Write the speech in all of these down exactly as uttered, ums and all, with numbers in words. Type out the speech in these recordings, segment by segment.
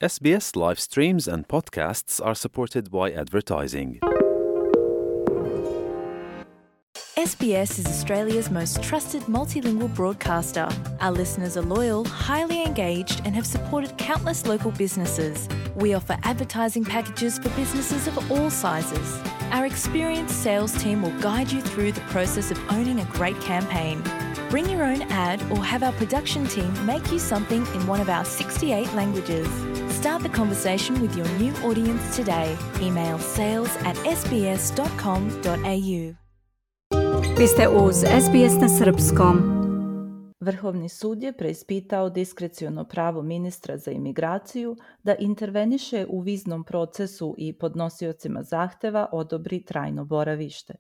S B S live streams and podcasts are supported by advertising. S B S is Australia's most trusted multilingual broadcaster. Our listeners are loyal, highly engaged, and have supported countless local businesses. We offer advertising packages for businesses of all sizes. Our experienced sales team will guide you through the process of owning a great campaign. Bring your own ad or have our production team make you something in one of our sixty-eight languages. Start the conversation with your new audience today. Email sales at s b s dot com dot a u. Vi ste uz S B S na srpskom. Vrhovni sud je preispitao diskreciono pravo ministra za imigraciju da interveniše u viznom procesu i podnosiocima zahteva odobri trajno boravište.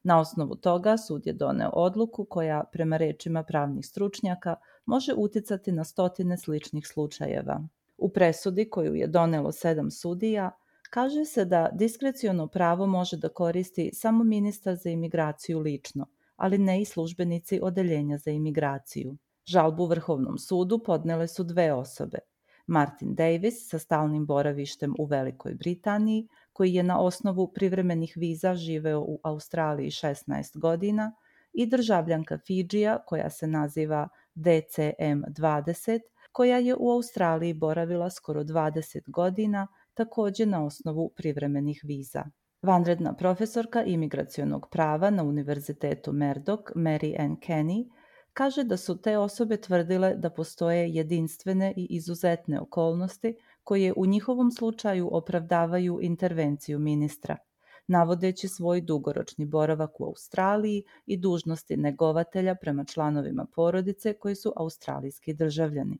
Na osnovu toga sud je doneo odluku koja, prema rečima pravnih stručnjaka, može uticati na stotine sličnih slučajeva. U presudi koju je donelo sedam sudija, kaže se da diskreciono pravo može da koristi samo ministar za imigraciju lično, ali ne i službenici odeljenja za imigraciju. Žalbu Vrhovnom sudu podnele su dve osobe. Martin Davis sa stalnim boravištem u Velikoj Britaniji, koji je na osnovu privremenih viza živeo u Australiji šesnaest godina, i državljanka Fidžija koja se naziva D C M dvadeset, koja je u Australiji boravila skoro dvadeset godina, također na osnovu privremenih viza. Vanredna profesorka imigracionog prava na Univerzitetu Murdoch, Mary Ann Kenny, kaže da su te osobe tvrdile da postoje jedinstvene i izuzetne okolnosti koje u njihovom slučaju opravdavaju intervenciju ministra, navodeći svoj dugoročni boravak u Australiji i dužnosti negovatelja prema članovima porodice koji su australijski državljani.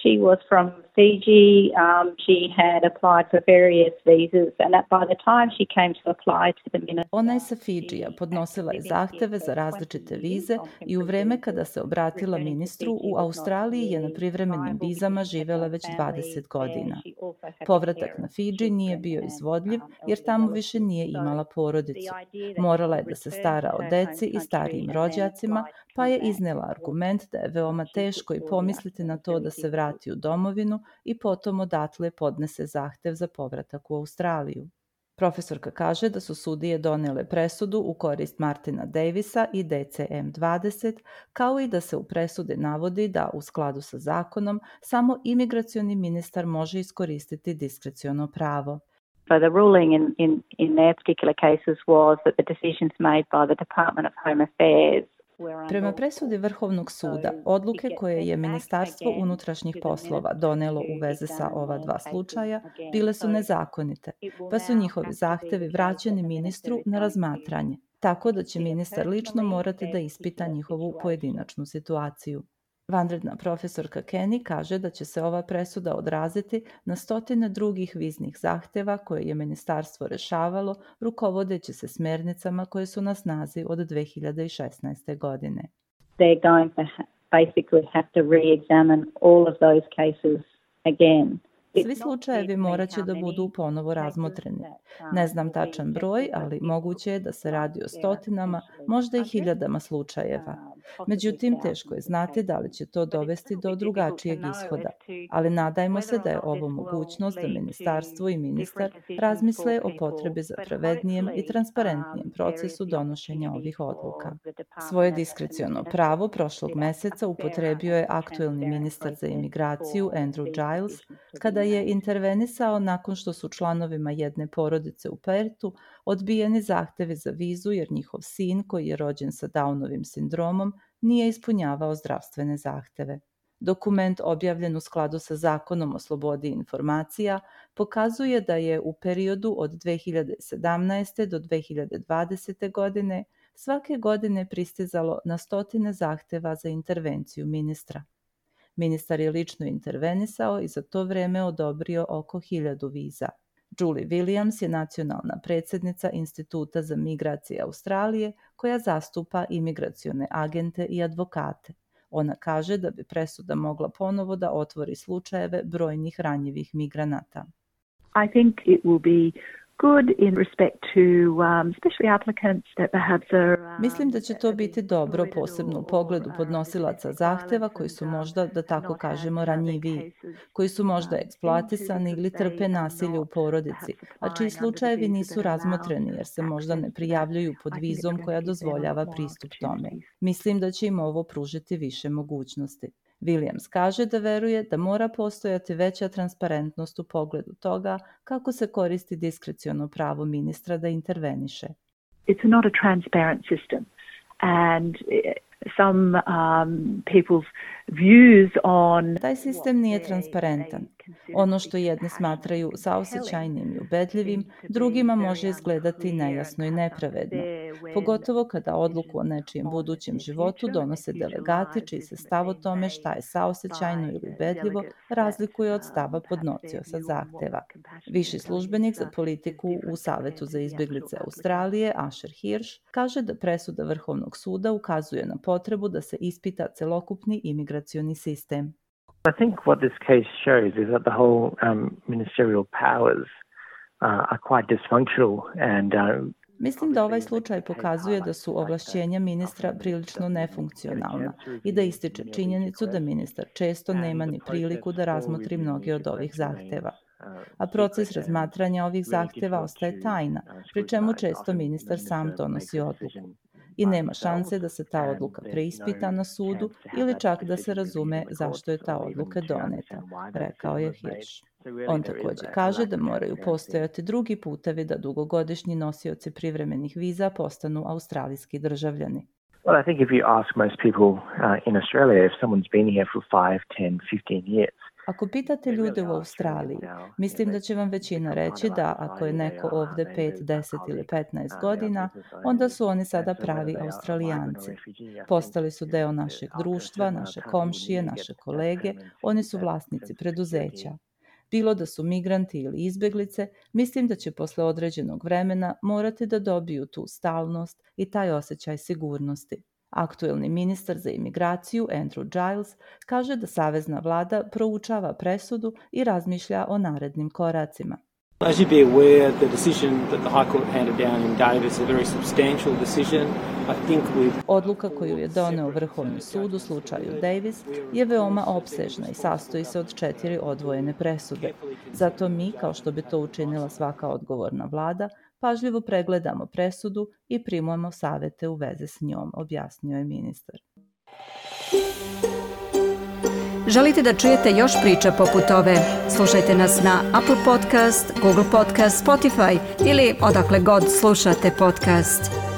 She was from Fiji. Um, she had applied for various visas, and that by the time she came to apply to the minister, Ona je sa Fidžija, podnosila je zahteve za različite vize i u vreme kada se obratila ministru u Australiji je na privremenim vizama živjela već dvadeset godina. Povratak na Fidži nije bio izvodljiv jer tamo više nije imala porodicu. Morala je da se stara o deci i starijim rođacima, pa je iznela argument da je veoma teško i pomisliti na to da se vrati u domovinu i potom odatle podnese zahtev za povratak u Australiju. Profesorka kaže da su sudije donijele presudu u korist Martina Davisa i D C M dvadeset, kao i da se u presudi navodi da u skladu sa zakonom samo imigracioni ministar može iskoristiti diskreciono pravo. So the ruling in, in, in their particular cases was that the decisions made by the Department of Home Affairs. Prema presudi Vrhovnog suda, odluke koje je Ministarstvo unutrašnjih poslova donelo u vezi sa ova dva slučaja bile su nezakonite, pa su njihovi zahtevi vraćeni ministru na razmatranje, tako da će ministar lično morati da ispita njihovu pojedinačnu situaciju. Vanredna profesorka Kenny kaže da će se ova presuda odraziti na stotine drugih viznih zahteva koje je ministarstvo rešavalo, rukovodeći se smjernicama koje su na snazi od dve hiljade šesnaeste. godine. They're going to ha- basically have to re-examine all of those cases again. Svi slučajevi morat će da budu ponovo razmotreni. Ne znam tačan broj, ali moguće je da se radi o stotinama, možda i hiljadama slučajeva. Međutim, teško je znati da li će to dovesti do drugačijeg ishoda, ali nadajmo se da je ovo mogućnost da ministarstvo i ministar razmisle o potrebi za pravednijem i transparentnijem procesu donošenja ovih odluka. Svoje diskreciono pravo prošlog meseca upotrebio je aktuelni ministar za imigraciju Andrew Giles, kada je intervenisao nakon što su članovima jedne porodice u Pertu odbijeni zahtevi za vizu jer njihov sin, koji je rođen sa Downovim sindromom, nije ispunjavao zdravstvene zahteve. Dokument objavljen u skladu sa Zakonom o slobodi informacija pokazuje da je u periodu od dve hiljade sedamnaeste. do dve hiljade dvadesete. godine svake godine pristizalo na stotine zahteva za intervenciju ministra. Ministar je lično intervenisao i za to vreme odobrio oko hiljadu viza. Julie Williams je nacionalna predsjednica Instituta za migracije Australije koja zastupa imigracione agente i advokate. Ona kaže da bi presuda mogla ponovo da otvori slučajeve brojnih ranjivih migranata. I think it will be good in respect to um, especially applicants that perhaps are um, Mislim da će to biti dobro, posebno u pogledu podnosilaca zahteva koji su možda, da tako kažemo, ranjiviji, koji su možda eksploatisani ili trpe nasilje u porodici, a čiji slučajevi nisu razmotreni jer se možda ne prijavljuju pod vizom koja dozvoljava pristup tome. Mislim da će im ovo pružiti više mogućnosti. Williams kaže da veruje da mora postojati veća transparentnost u pogledu toga kako se koristi diskreciono pravo ministra da interveniše. It's not a transparent system and some um, people's views on... Taj sistem nije transparentan. Ono što jedni smatraju saosećajnim i ubedljivim, drugima može izgledati nejasno i nepravedno. Pogotovo kada odluku o nečijem budućem životu donose delegati čiji se stav o tome šta je saosećajno ili ubedljivo razlikuje od stava podnosioca zahteva. Viši službenik za politiku u Savetu za izbjeglice Australije, Asher Hirsch, kaže da presuda Vrhovnog suda ukazuje na potrebu da se ispita celokupni imigracioni sistem. I think what this case shows is that the whole um, ministerial powers uh, are quite dysfunctional and uh, Mislim da ovaj slučaj pokazuje da su ovlašćenja ministra prilično nefunkcionalna i da ističe činjenicu da ministar često nema ni priliku da razmotri mnoge od ovih zahteva. A proces razmatranja ovih zahteva ostaje tajna, pri čemu često ministar sam donosi odluku. I nema šanse da se ta odluka preispita na sudu ili čak da se razume zašto je ta odluka doneta, rekao je Hirsch. On također kaže da moraju postojati drugi putevi da dugogodišnji nosioci privremenih viza postanu australijski državljani. Well, I think if you ask most people uh, in Australia if someone's been here for five, ten, fifteen years, Ako pitate ljude u Australiji, mislim da će vam većina reći da ako je neko ovdje pet, deset ili petnaest godina, onda su oni sada pravi Australijanci. Postali su deo našeg društva, naše komšije, naše kolege, oni su vlasnici preduzeća. Bilo da su migranti ili izbjeglice, mislim da će posle određenog vremena morati da dobiju tu stalnost i taj osjećaj sigurnosti. Aktuelni ministar za imigraciju Andrew Giles kaže da savezna vlada proučava presudu i razmišlja o narednim koracima. As you be aware, the decision that the High Court handed down in Davis, a very substantial decision. I think with... Odluka koju je doneo Vrhovni sud u slučaju Davis je veoma opsežna i sastoji se od četiri odvojene presude. Zato mi, kao što bi to učinila svaka odgovorna vlada, pažljivo pregledamo presudu i primujemo savete u vezi s njom, objasnio je ministar. Želite da čujete još priča poput ove? Slušajte nas na Apple Podcast, Google Podcast, Spotify ili odakle god slušate podcast.